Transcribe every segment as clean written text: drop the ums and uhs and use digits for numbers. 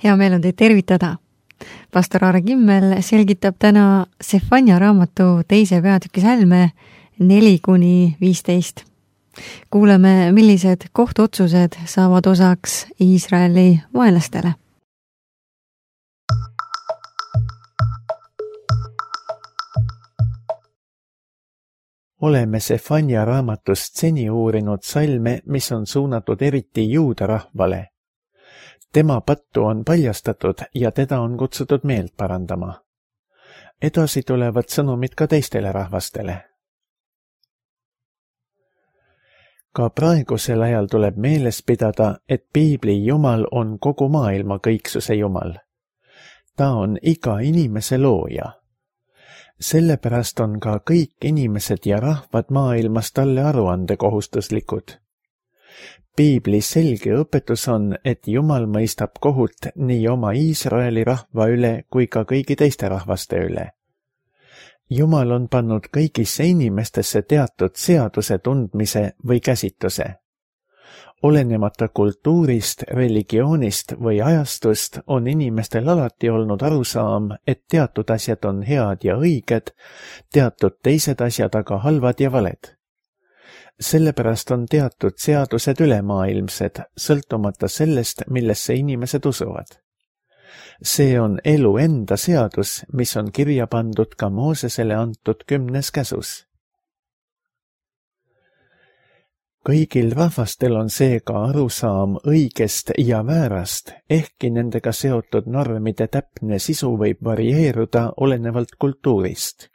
Hea meel on teid tervitada. Pastor Aare Kimmel selgitab täna Sefanja raamatu 2. peatüki salme 4-15. Kuuleme, millised kohtuotsused saavad osaks Iisraeli vaenlastele. Oleme Sefanja raamatust seni uurinud salme, mis on suunatud eriti juuda rahvale. Tema pattu on paljastatud ja teda on kutsutud meelt parandama. Edasi tulevad sõnumid ka teistele rahvastele. Ka praegusel ajal tuleb meeles pidada, et Piibli Jumal on kogu maailma kõiksuse Jumal. Ta on iga inimese looja. Sellepärast on ka kõik inimesed ja rahvad maailmas talle aruandekohustuslikud. Piibli selge õpetus on, et Jumal mõistab kohut nii oma Iisraeli rahva üle kui ka kõigi teiste rahvaste üle. Jumal on pannud kõigisse inimestesse teatud seaduse tundmise või käsitluse. Olenemata kultuurist, religioonist või ajastust on inimestel alati olnud arusaam, et teatud asjad on head ja õiged, teatud teised asjad aga halvad ja valed. Sellepärast on teatud seadused ülemaailmsed, sõltumata sellest, millesse inimesed usuvad. See on elu enda seadus, mis on kirja pandud ka Moosesele antud 10. käsus. Kõigil rahvastel on seega arusaam õigest ja väärast, ehkki nendega seotud normide täpne sisu võib varieeruda olenevalt kultuurist.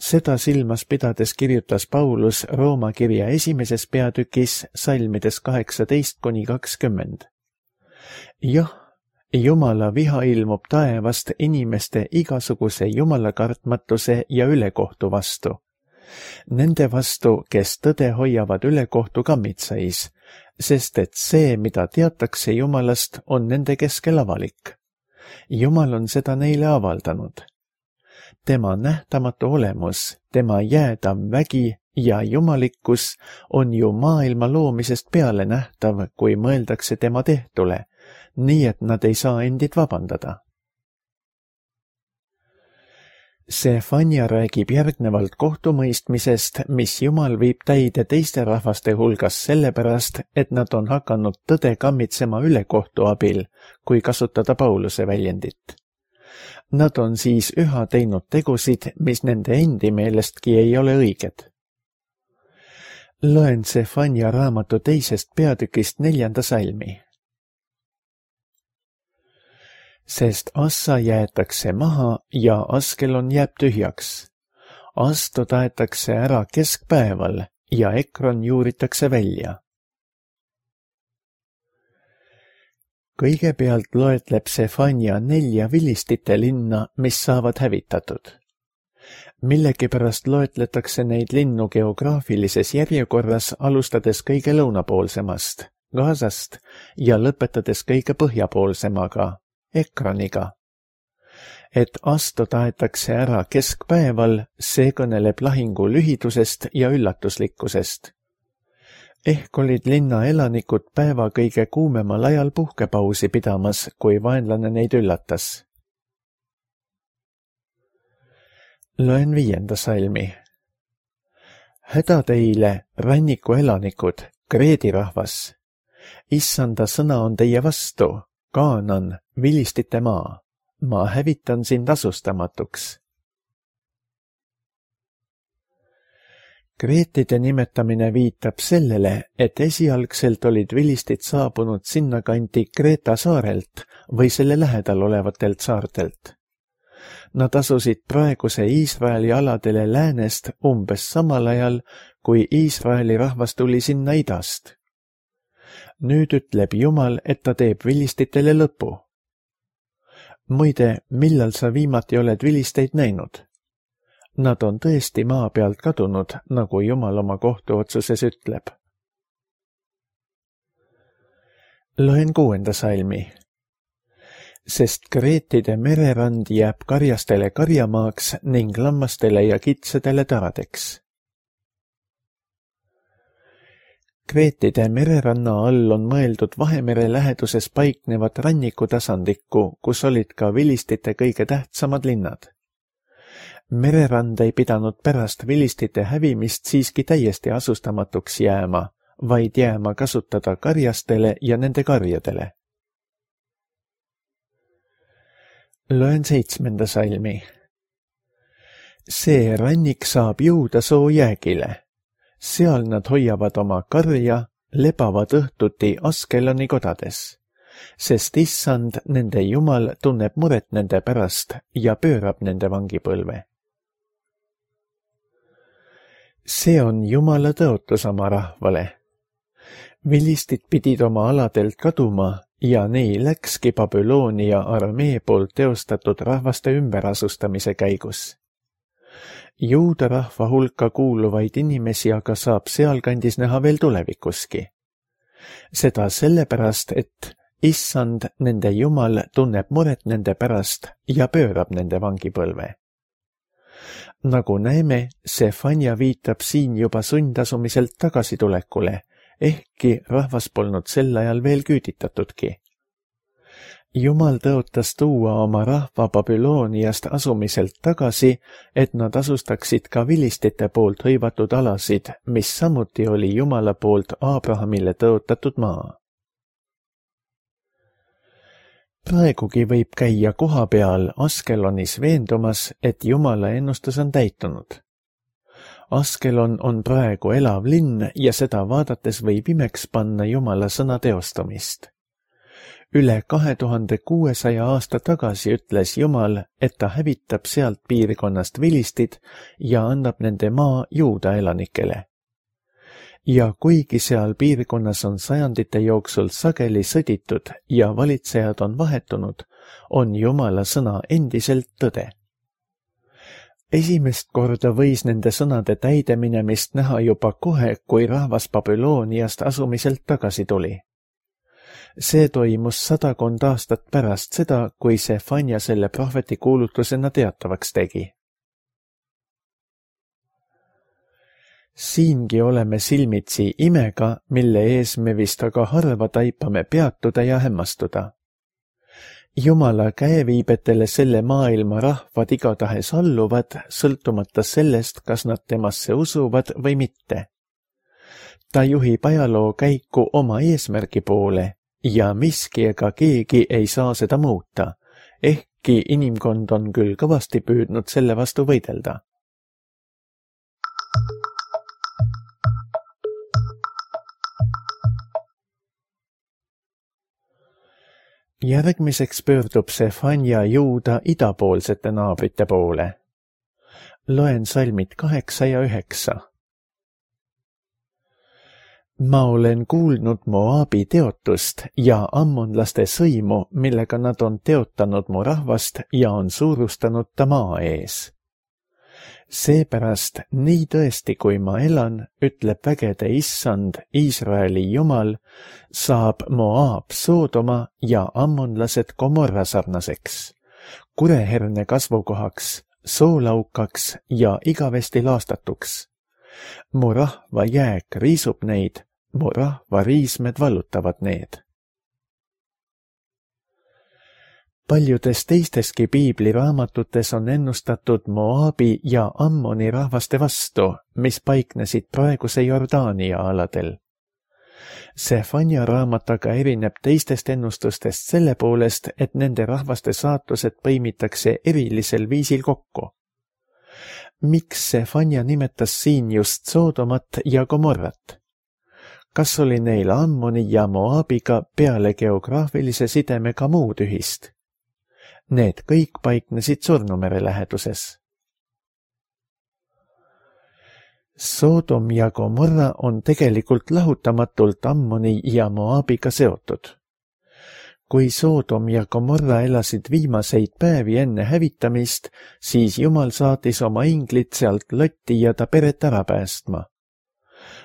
Seda silmas pidades kirjutas Paulus Rooma kirja 1. peatükis salmides 18-20. Jah, Jumala viha ilmub taevast inimeste igasuguse jumalakartmatuse ja ülekohtu vastu. Nende vastu, kes tõde hoiavad ülekohtu kammitsais, sest et see, mida teatakse Jumalast, on nende keskel avalik. Jumal on seda neile avaldanud. Tema nähtamatu olemus, tema jäädav vägi ja jumalikkus on ju maailma loomisest peale nähtav, kui mõeldakse tema tehtule, nii et nad ei saa endid vabandada. Sefanja räägib järgnevalt kohtumõistmisest, mis Jumal viib täide teiste rahvaste hulgas sellepärast, et nad on hakanud tõde kammitsema ülekohtu abil, kui kasutada Pauluse väljendit. Nad on siis üha teinud tegusid, mis nende endi meelestki ei ole õiged. Loen Sefanja raamatu 2. peatükist 4. salmi. Sest Assa jäetakse maha ja Askelon jääb tühjaks. Asto taetakse ära keskpäeval ja Ekron juuritakse välja. Kõigepealt loetleb Sefanja 4 vilistite linna, mis saavad hävitatud. Millegipärast loetletakse neid linnu geograafilises järjekorras alustades kõige lõunapoolsemast, Gazast, ja lõpetades kõige põhjapoolsemaga, Ekroniga. Et Asto taetakse ära keskpäeval, see kõneleb lahingu lühidusest ja üllatuslikkusest. Ehk olid linna elanikud päeva kõige kuumemal ajal puhkepausi pidamas, kui vaenlane neid üllatas. Loen 5. salmi. Häda teile, ranniku elanikud, Kreedi rahvas. Issanda sõna on teie vastu, Kaanan, vilistite maa. Ma hävitan sind asustamatuks. Kreetide nimetamine viitab sellele, et esialgselt olid vilistid saabunud sinnakanti Kreeta saarelt või selle lähedal olevatelt saartelt. Nad asusid praeguse Iisraeli aladele läänest umbes samal ajal, kui Iisraeli rahvas tuli sinna idast. Nüüd ütleb Jumal, et ta teeb vilistitele lõpu. Muide, millal sa viimati oled vilisteid näinud? Nad on tõesti maa pealt kadunud, nagu Jumal oma kohtuotsuses ütleb. Loen 6. salmi. Sest Kreetide mererand jääb karjastele karjamaaks ning lammastele ja kitsedele taradeks. Kreetide mereranna all on mõeldud Vahemere läheduses paiknevat rannikutasandikku, kus olid ka vilistite kõige tähtsamad linnad. Mererand ei pidanud pärast vilistite hävimist siiski täiesti asustamatuks jääma, vaid jääma kasutada karjastele ja nende karjadele. Loen 7. salmi. See rannik saab jõuda soo jäägile. Seal nad hoiavad oma karja, lebavad õhtuti Askeloni kodades, sest issand, nende Jumal, tunneb muret nende pärast ja pöörab nende vangipõlve. See on Jumala tõotus oma rahvale. Vilistid pidid oma aladelt kaduma ja nii läkski Babyloonia armee poolt teostatud rahvaste ümberasustamise käigus. Juuda rahva hulka kuuluvaid inimesi aga saab sealkandis näha veel tulevikuski. Seda sellepärast, et issand, nende Jumal, tunneb muret nende pärast ja pöörab nende vangipõlve. Nagu näeme, Sefanja viitab siin juba sundasumiselt tagasitulekule, ehkki rahvas polnud sel ajal veel küüditatudki. Jumal tõotas tuua oma rahva Babyloniast asumiselt tagasi, et nad asustaksid ka vilistite poolt hõivatud alasid, mis samuti oli Jumala poolt Abrahamile tõotatud maa. Praegugi võib käia koha peal Askelonis veendumas, et Jumala ennustus on täitunud. Askelon on praegu elav linn ja seda vaadates võib imeks panna Jumala sõna teostamist. Üle 2600 aasta tagasi ütles Jumal, et ta hävitab sealt piirkonnast vilistid ja annab nende maa Juuda elanikele. Ja kuigi seal piirkonnas on sajandite jooksul sageli sõditud ja valitsejad on vahetunud, on Jumala sõna endiselt tõde. Esimest korda võis nende sõnade täideminemist näha juba kohe, kui rahvas Babyloniast asumiselt tagasi tuli. See toimus 100 aastat pärast seda, kui Sefanja selle prohveti kuulutusena teatavaks tegi. Siingi oleme silmitsi imega, mille ees me vist aga harva taipame peatuda ja hämmastuda. Jumala käeviibetele selle maailma rahvad igatahes alluvad, sõltumata sellest, kas nad temasse usuvad või mitte. Ta juhib ajaloo käiku oma eesmärgi poole ja miski ega keegi ei saa seda muuta, ehkki inimkond on küll kõvasti püüdnud selle vastu võidelda. Järgmiseks pöördub Sefanja Juuda idapoolsete naabrite poole. Loen salmid 8 ja 9. Ma olen kuulnud Moabi teotust ja ammonlaste sõimu, millega nad on teotanud mu rahvast ja on suurustanud ta maa ees. Seepärast, nii tõesti kui ma elan, ütleb vägede issand, Iisraeli Jumal, saab Moab Soodoma ja ammonlased Gomorra sarnaseks, kureherne kasvukohaks, soolaukaks ja igavesti laastatuks. Mu rahva jääk riisub neid, mu rahva riismed vallutavad need. Paljudes teisteski piibliraamatutes on ennustatud Moabi ja Ammoni rahvaste vastu, mis paiknesid praeguse Jordaania aladel. Sefanja raamat aga erineb teistest ennustustest selle poolest, et nende rahvaste saatused põimitakse erilisel viisil kokku. Miks Sefanja nimetas siin just Soodomat ja Gomorrat? Kas oli neil Ammoni ja Moabiga peale geograafilise sidemega muud ühist? Need kõik paiknesid Surnumere läheduses. Soodom ja Gomorra on tegelikult lahutamatult Ammoni ja Moabiga seotud. Kui Soodom ja Gomorra elasid viimaseid päevi enne hävitamist, siis Jumal saatis oma inglid sealt Lotti ja ta peret ära päästma.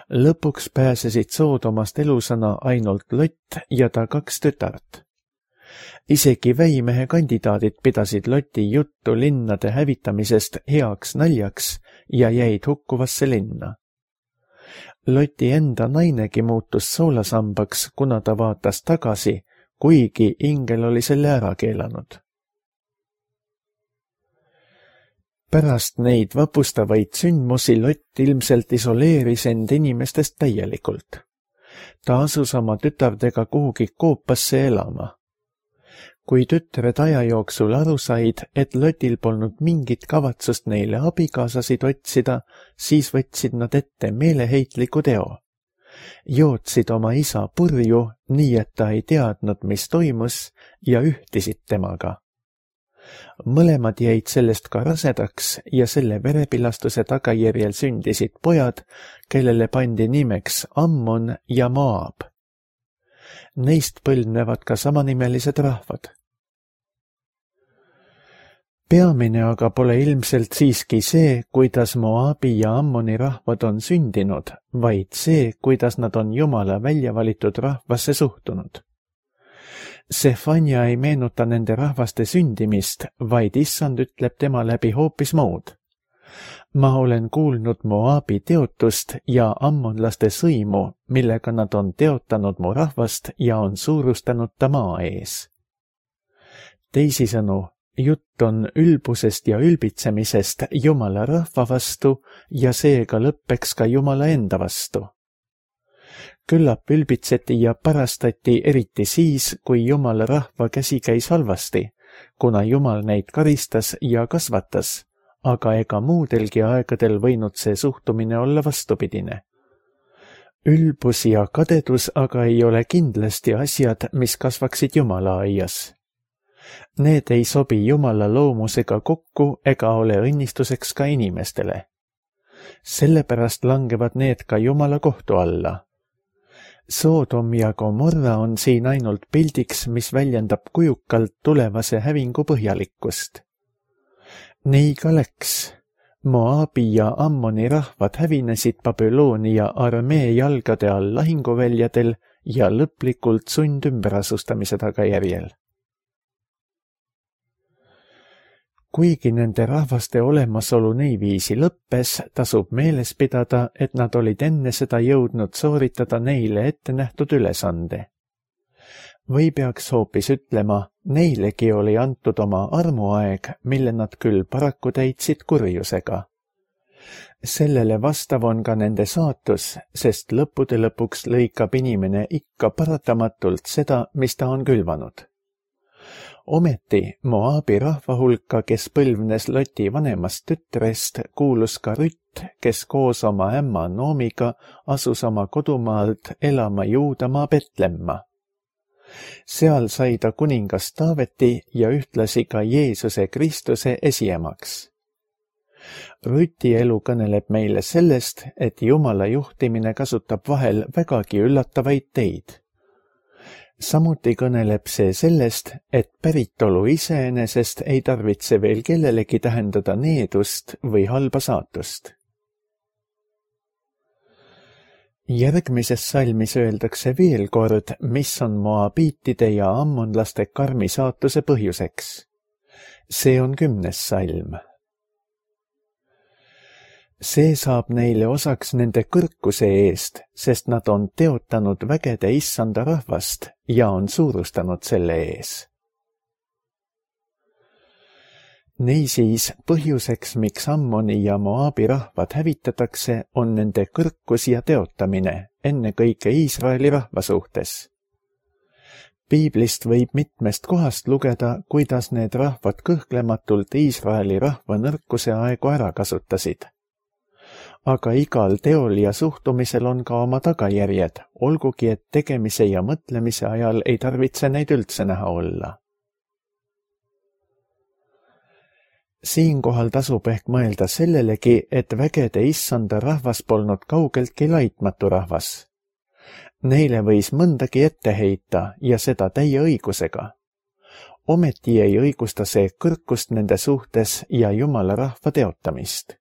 Lõpuks pääsesid Soodomast elusana ainult Lott ja ta 2 tütart. Isegi väimehe kandidaadid pidasid Loti juttu linnade hävitamisest heaks naljaks ja jäid hukkuvasse linna. Loti enda nainegi muutus soolasambaks, kuna ta vaatas tagasi, kuigi ingel oli selle ära keelanud. Pärast neid vapustavaid sündmusi Lott ilmselt isoleeris end inimestest täielikult. Ta asus oma tütardega kuhugi koopasse elama. Kui tütred aja jooksul aru said, et Lotil polnud mingit kavatsust neile abikaasasid otsida, siis võtsid nad ette meeleheitliku teo. Jootsid oma isa purju, nii et ta ei teadnud, mis toimus, ja ühtisid temaga. Mõlemad jäid sellest ka rasedaks ja selle verepilastuse tagajärjel sündisid pojad, kellele pandi nimeks Ammon ja Moab. Neist põlvnevad ka samanimelised rahvad. Peamine aga pole ilmselt siiski see, kuidas Moabi ja Ammoni rahvad on sündinud, vaid see, kuidas nad on Jumala välja valitud rahvasse suhtunud. Sefania ei meenuta nende rahvaste sündimist, vaid issand ütleb tema läbi hoopis muud. Ma olen kuulnud Moabi teotust ja ammonlaste sõimu, millega nad on teotanud mu rahvast ja on suurustanud ta maa ees. Teisisõnu, jutt on ülbusest ja ülbitsemisest Jumala rahva vastu ja seega lõppeks ka Jumala enda vastu. Küllap ülbitseti ja parastati eriti siis, kui Jumala rahva käsi käis halvasti, kuna Jumal neid karistas ja kasvatas, aga ega muudelgi aegadel võinud see suhtumine olla vastupidine. Ülbus ja kadedus aga ei ole kindlasti asjad, mis kasvaksid Jumala aias. Need ei sobi Jumala loomusega kokku ega ole õnnistuseks ka inimestele. Sellepärast langevad need ka Jumala kohtu alla. Soodom ja Gomorra on siin ainult pildiks, mis väljendab kujukalt tulevase hävingu põhjalikkust. Nii ka läks. Moabi ja Ammoni rahvad hävinesid Babyloonia armee jalgade all lahinguväljadel ja lõplikult sundümberasustamise tagajärjel. Kuigi nende rahvaste olemasolu niiviisi lõppes, tasub meeles pidada, et nad olid enne seda jõudnud sooritada neile ette nähtud ülesande. Või peaks hoopis ütlema, neilegi oli antud oma armuaeg, mille nad küll paraku täitsid kurjusega. Sellele vastav on ka nende saatus, sest lõppude lõpuks lõikab inimene ikka paratamatult seda, mis ta on külvanud. Ometi Moabi rahva hulka, kes põlvnes Loti vanemast tütrest, kuulus ka Rütt, kes koos oma ämma Noomiga asus oma kodumaalt elama Juudamaa Betlemma. Seal sai ta kuningas Taaveti ja ühtlasi ka Jeesuse Kristuse esiemaks. Rüti elu kõneleb meile sellest, et Jumala juhtimine kasutab vahel vägagi üllatavaid teid. Samuti kõneleb see sellest, et päritolu iseenesest ei tarvitse veel kellelegi tähendada needust või halba saatust. Järgmises salmis öeldakse veel kord, mis on moabiitide ja ammonlaste karmi saatuse põhjuseks. See on 10. salm. See saab neile osaks nende kõrkuse eest, sest nad on teotanud vägede issanda rahvast ja on suurustanud selle ees. Niisiis, põhjuseks, miks Ammoni ja Moabi rahvad hävitatakse, on nende kõrkus ja teotamine, ennekõike Iisraeli rahva suhtes. Piiblist võib mitmest kohast lugeda, kuidas need rahvad kõhklematult Iisraeli rahva nõrkuse aegu ära kasutasid. Aga igal teol ja suhtumisel on ka oma tagajärjed, olgugi et tegemise ja mõtlemise ajal ei tarvitse neid üldse näha olla. Siinkohal tasub ehk mõelda sellelegi, et vägede issanda rahvas polnud kaugeltki laitmatu rahvas. Neile võis mõndagi ette heita ja seda täie õigusega. Ometi ei õigusta see kõrkust nende suhtes ja Jumala rahva teotamist.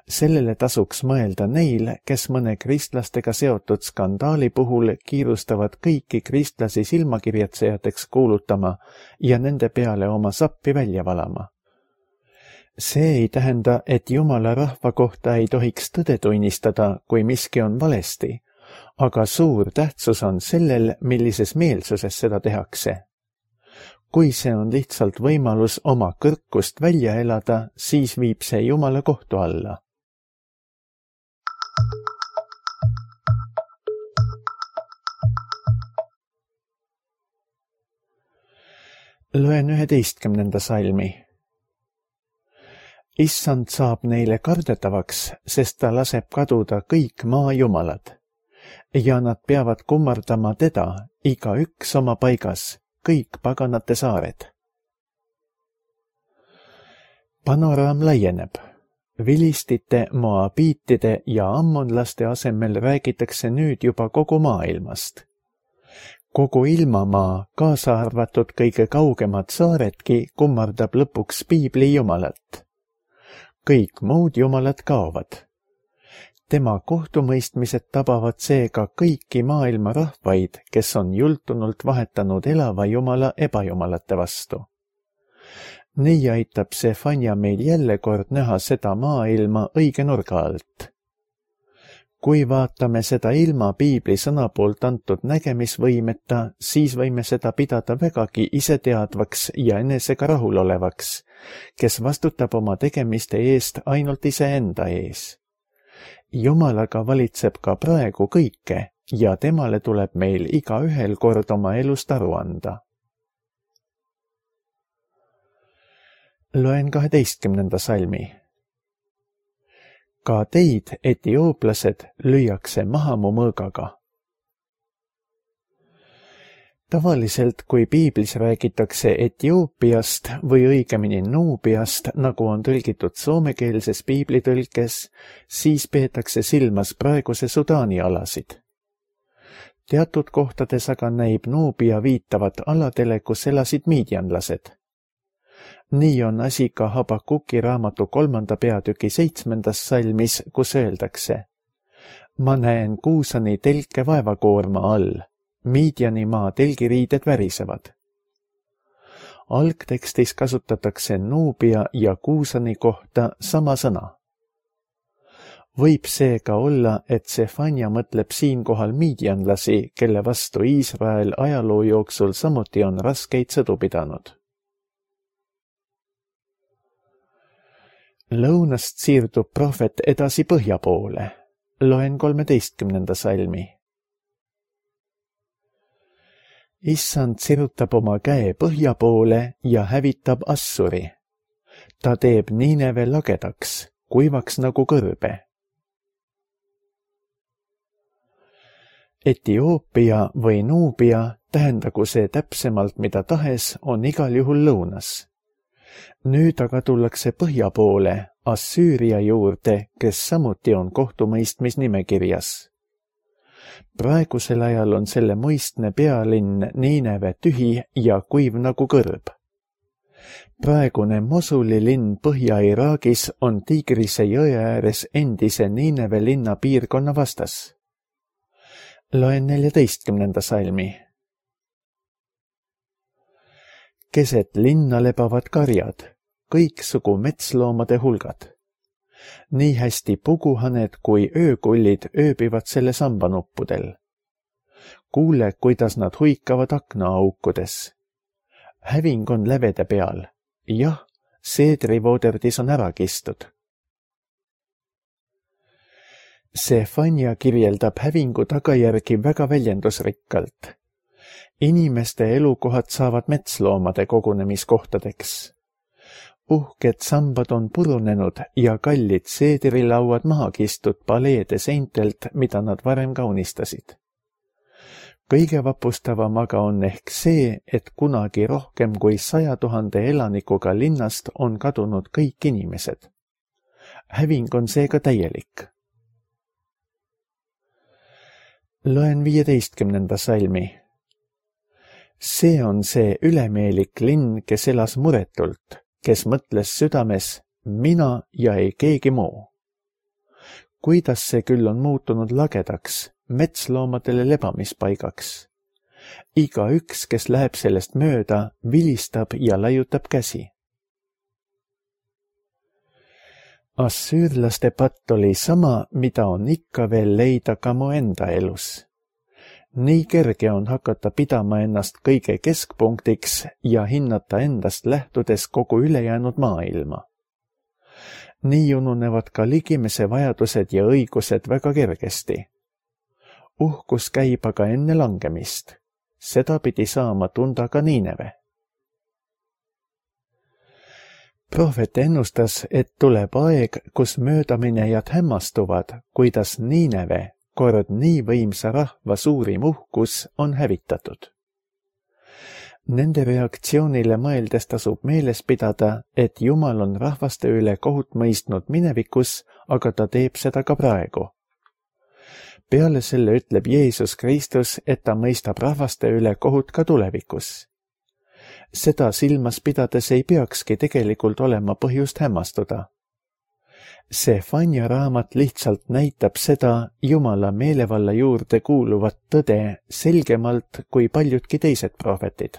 Sellele tasuks mõelda neil, kes mõne kristlastega seotud skandaali puhul kiirustavad kõiki kristlasi silmakirjatsejateks kuulutama ja nende peale oma sappi välja valama. See ei tähenda, et Jumala rahva kohta ei tohiks tõde tunnistada, kui miski on valesti, aga suur tähtsus on sellel, millises meelsuses seda tehakse. Kui see on lihtsalt võimalus oma kõrkust välja elada, siis viib see Jumala kohtu alla. Loen 11. salmi. Issand saab neile kardetavaks, sest ta laseb kaduda kõik maa jumalad. Ja nad peavad kummardama teda, igaüks oma paigas, kõik paganate saared. Panoraam laieneb. Vilistite, moabiitide ja ammonlaste asemel räägitakse nüüd juba kogu maailmast. Kogu ilmamaa, kaasa arvatud kõige kaugemad saaredki, kummardab lõpuks piibli jumalat. Kõik muud jumalad kaovad. Tema kohtumõistmised tabavad seega kõiki maailma rahvaid, kes on jultunult vahetanud elava jumala ebajumalate vastu. Nii aitab Sefanja meil jälle kord näha seda maailma õige nurga alt. Kui vaatame seda ilma piibli sõna poolt antud nägemisvõimeta, siis võime seda pidada vägagi iseteadvaks ja enesega rahulolevaks, kes vastutab oma tegemiste eest ainult iseenda ees. Jumalaga valitseb ka praegu kõike ja temale tuleb meil igaühel kord oma elust aru anda. Loen 12. salmi. Ka teid, etiooplased, lüüakse maha mu mõõgaga. Tavaliselt, kui piiblis räägitakse Etioopiast või õigemini Nuubiast, nagu on tõlgitud soomekeelses piiblitõlkes, siis peetakse silmas praeguse Sudaani alasid. Teatud kohtades aga näib Nuubia viitavat aladele, kus elasid miidjanlased. Nii on asi ka Habakuki raamatu 3. peatüki 7. salmis, kus öeldakse: Ma näen Kuusani telke vaevakoorma all, Miidjani maa telgiriided värisevad. Algtekstis kasutatakse Nuubia ja Kuusani kohta sama sõna. Võib seega olla, et Sefanja mõtleb siinkohal miidjanlasi, kelle vastu Iisrael ajaloo jooksul samuti on raskeid sõdu pidanud. Lõunast siirdub prohvet edasi põhja poole. Loen 13. salmi. Issand sirutab oma käe põhja poole ja hävitab Assuri. Ta teeb Niineve lagedaks, kuivaks nagu kõrbe. Etioopia või Nuubia, tähendagu see täpsemalt mida tahes, on igal juhul lõunas. Nüüd aga tullakse põhja poole, Assüüria juurde, kes samuti on kohtumõistmisnimekirjas. Praegusel ajal on selle muistne pealinn Niineve tühi ja kuiv nagu kõrb. Praegune Mosuli linn Põhja-Iraagis on Tigrise jõe ääres endise Niineve linna piirkonna vastas. Loen 14. salmi. Keset linna lebavad karjad, kõiksugu metsloomade hulgad. Nii hästi puguhaned kui öökullid ööbivad selle sambanuppudel. Kuule, kuidas nad huikavad aknaaukudes. Häving on lävede peal. Jah, seedrivooderdis on ära kistud. Sefanja kirjeldab hävingu tagajärgi väga väljendusrikkalt. Inimeste elukohad saavad metsloomade kogunemiskohtadeks. Uhked sambad on purunenud ja kallid seedirilauad maha kistud paleede seintelt, mida nad varem kaunistasid. Kõige vapustavam aga on ehk see, et kunagi rohkem kui 100 000 elanikuga linnast on kadunud kõik inimesed. Häving on seega täielik. Loen 15. salmi. See on see ülemeelik linn, kes elas muretult, kes mõtles südames, mina ja ei keegi muu. Kuidas see küll on muutunud lagedaks, metsloomadele lebamispaigaks. Igaüks, kes läheb sellest mööda, vilistab ja laiutab käsi. Assüürlaste patt oli sama, mida on ikka veel leida ka mu enda elus. Nii kerge on hakata pidama ennast kõige keskpunktiks ja hinnata endast lähtudes kogu ülejäänud maailma. Nii ununevad ka ligimese vajadused ja õigused väga kergesti. Uhkus käib aga enne langemist. Seda pidi saama tunda ka Niineve. Prohvet ennustas, et tuleb aeg, kus möödaminejad hämmastuvad, kuidas Niineve, kord nii võimsa rahva suurim uhkus, on hävitatud. Nende reaktsioonile mõeldes tasub meeles pidada, et Jumal on rahvaste üle kohut mõistnud minevikus, aga ta teeb seda ka praegu. Peale selle ütleb Jeesus Kristus, et ta mõistab rahvaste üle kohut ka tulevikus. Seda silmas pidades ei peakski tegelikult olema põhjust hämmastuda. Sefanja raamat lihtsalt näitab seda Jumala meelevalla juurde kuuluvat tõde selgemalt kui paljudki teised prohvetid.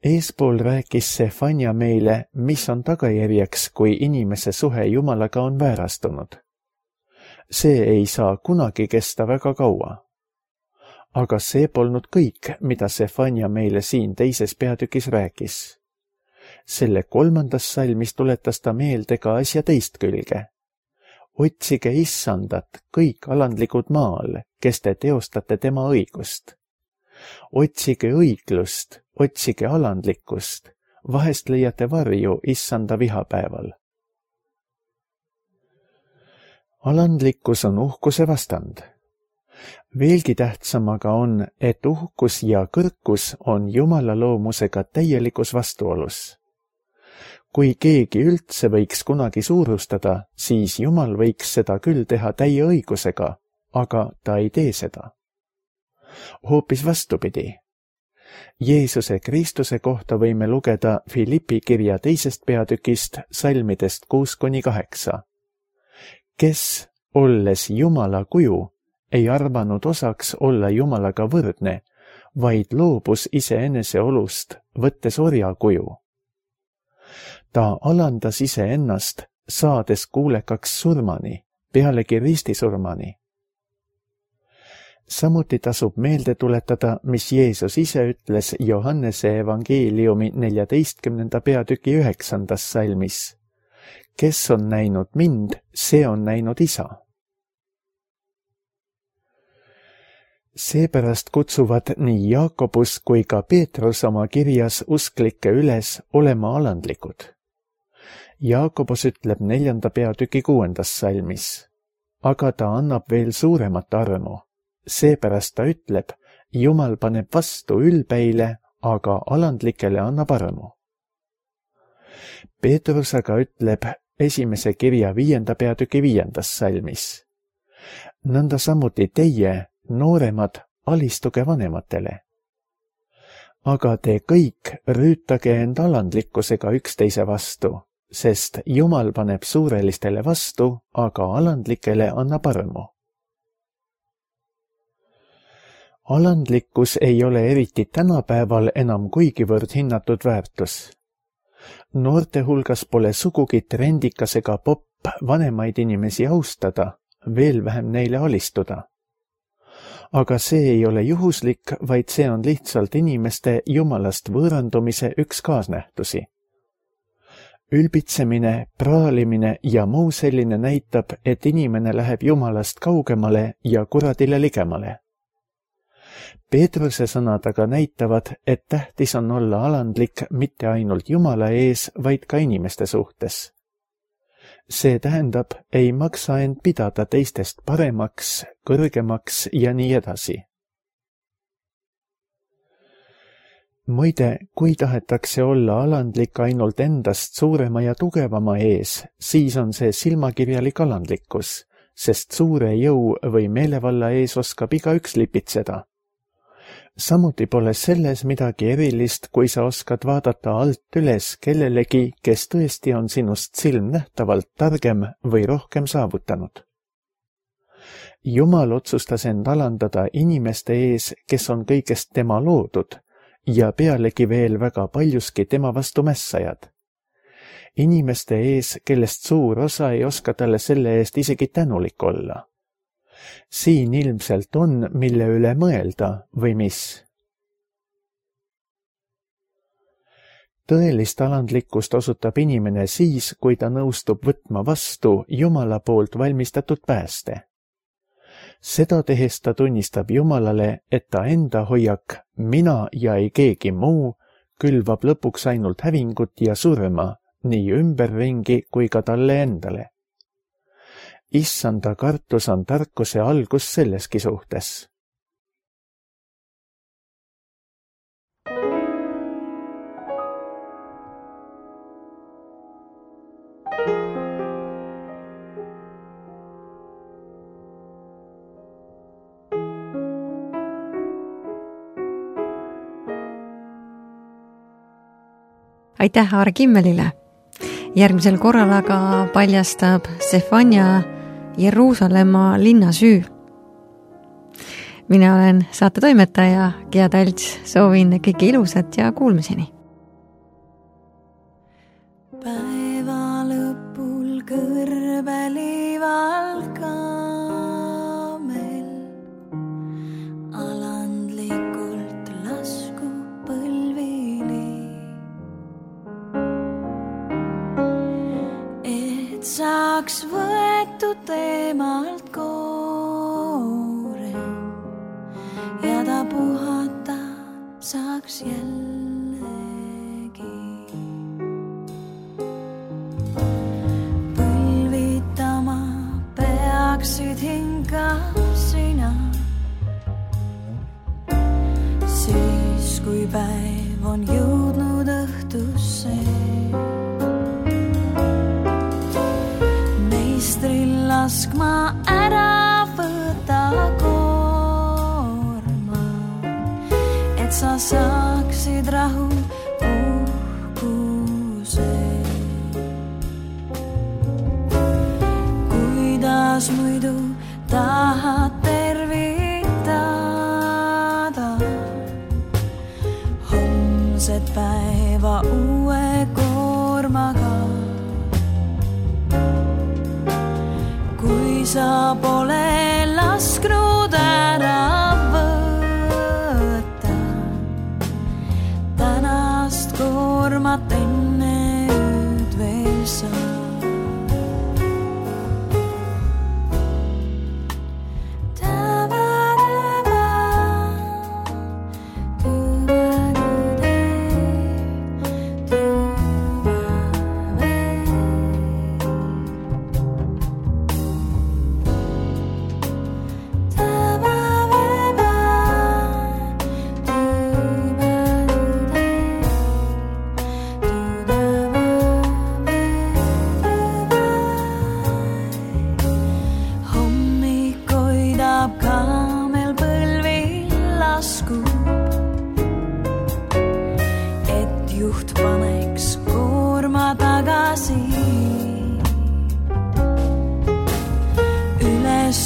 Eespool rääkis Sefanja meile, mis on tagajärjeks, kui inimese suhe Jumalaga on väärastunud. See ei saa kunagi kesta väga kaua. Aga see polnud kõik, mida Sefanja meile siin teises peatükis rääkis. Selle 3. salmis tuletas ta meelde ka asja teist külge. Otsige issandat, kõik alandlikud maal, kes te teostate tema õigust. Otsige õiglust, otsige alandlikkust, vahest leiate varju issanda vihapäeval. Alandlikkus on uhkuse vastand. Veelgi tähtsam aga on, et uhkus ja kõrkus on Jumala loomusega täielikus vastuolus. Kui keegi üldse võiks kunagi suurustada, siis Jumal võiks seda küll teha täie õigusega, aga ta ei tee seda. Hoopis vastupidi. Jeesuse Kristuse kohta võime lugeda Filippi kirja 2. peatükist salmidest 6-8. Kes, olles Jumala kuju, ei arvanud osaks olla Jumalaga võrdne, vaid loobus iseenese olust, võttes orja kuju. Ta alandas iseennast, saades kuulekaks surmani, pealegi ristisurmani. Samuti tasub meelde tuletada, mis Jeesus ise ütles Johannese evangeeliumi 14. peatüki 9. salmis. Kes on näinud mind, see on näinud isa. Seepärast kutsuvad nii Jaakobus kui ka Peetrus oma kirjas usklikke üles olema alandlikud. Jaakobus ütleb 4. peatüki 6. salmis, aga ta annab veel suuremat armu. Seepärast ta ütleb, Jumal paneb vastu ülbeile, aga alandlikele annab armu. Peetrus aga ütleb 1. kirja 5. peatüki 5. salmis. Nõnda samuti teie, nooremad, alistuge vanematele. Aga te kõik rüütage end alandlikkusega üksteise vastu, sest Jumal paneb suurelistele vastu, aga alandlikele annab armu. Alandlikkus ei ole eriti tänapäeval enam kuigivõrd hinnatud väärtus. Noorte hulgas pole sugugi trendikas ega popp vanemaid inimesi austada, veel vähem neile alistuda. Aga see ei ole juhuslik, vaid see on lihtsalt inimeste Jumalast võõrandumise üks kaasnähtusi. Ülbitsemine, praalimine ja muu selline näitab, et inimene läheb Jumalast kaugemale ja kuradile ligemale. Peetruse sõnad aga näitavad, et tähtis on olla alandlik mitte ainult Jumala ees, vaid ka inimeste suhtes. See tähendab, ei maksa end pidada teistest paremaks, kõrgemaks ja nii edasi. Muide, kui tahetakse olla alandlik ainult endast suurema ja tugevama ees, siis on see silmakirjalik alandlikkus, sest suure jõu või meelevalla ees oskab igaüks lipitseda. Samuti pole selles midagi erilist, kui sa oskad vaadata alt üles kellelegi, kes tõesti on sinust silmnähtavalt targem või rohkem saavutanud. Jumal otsustas end alandada inimeste ees, kes on kõigest tema loodud ja pealegi veel väga paljuski tema vastu mässajad. Inimeste ees, kellest suur osa ei oska talle selle eest isegi tänulik olla. Siin ilmselt on, mille üle mõelda või mis. Tõelist alandlikkust osutab inimene siis, kui ta nõustub võtma vastu Jumala poolt valmistatud pääste. Seda tehes ta tunnistab Jumalale, et ta enda hoiak, mina ja ei keegi muu, külvab lõpuks ainult hävingut ja surma, nii ümberringi kui ka talle endale. Issanda kartus on tarkuse algus selleski suhtes. Aitäh Aar Kimmelile! Järgmisel korral aga paljastab Sefanja Jeruusalemma linna süü. Mina olen saatetoimetaja Gea Talts, soovin kõike ilusat ja kuulmiseni. Päeva lõpul kõrbelival kaamel alandlikult lasku põlvili. Et saaks võetud temalt koore ja ta puhata saaks jällegi. Põlvitama peaksid hinga sina, siis kui päev on jõudnud õhtusse. Meistril laskma ära võta koorma, et sa saaksid rahu uhkuse. Kuidas muidu tahad tervitada homset päeva uue koormaga? Kui sa pole lasknud ära võtta tänast koormat enne ööd veel sa.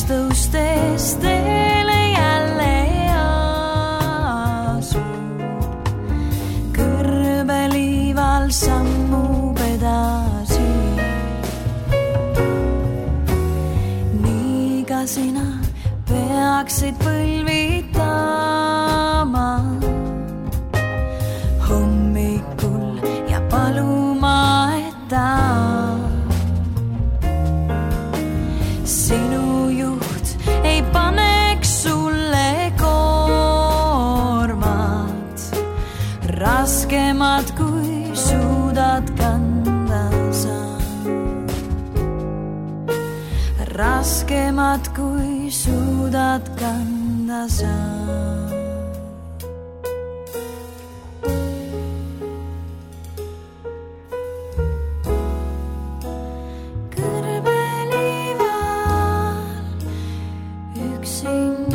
Tõustes teele jälle asub, kõrbeliival sammub edasi. Nii ka sina peaksid põlvitama hommikul ja paluma, et ta sinu ei paneks sulle koormat, raskemat kui suudad kanda sa. Raskemat kui suudad kanda sa. Sing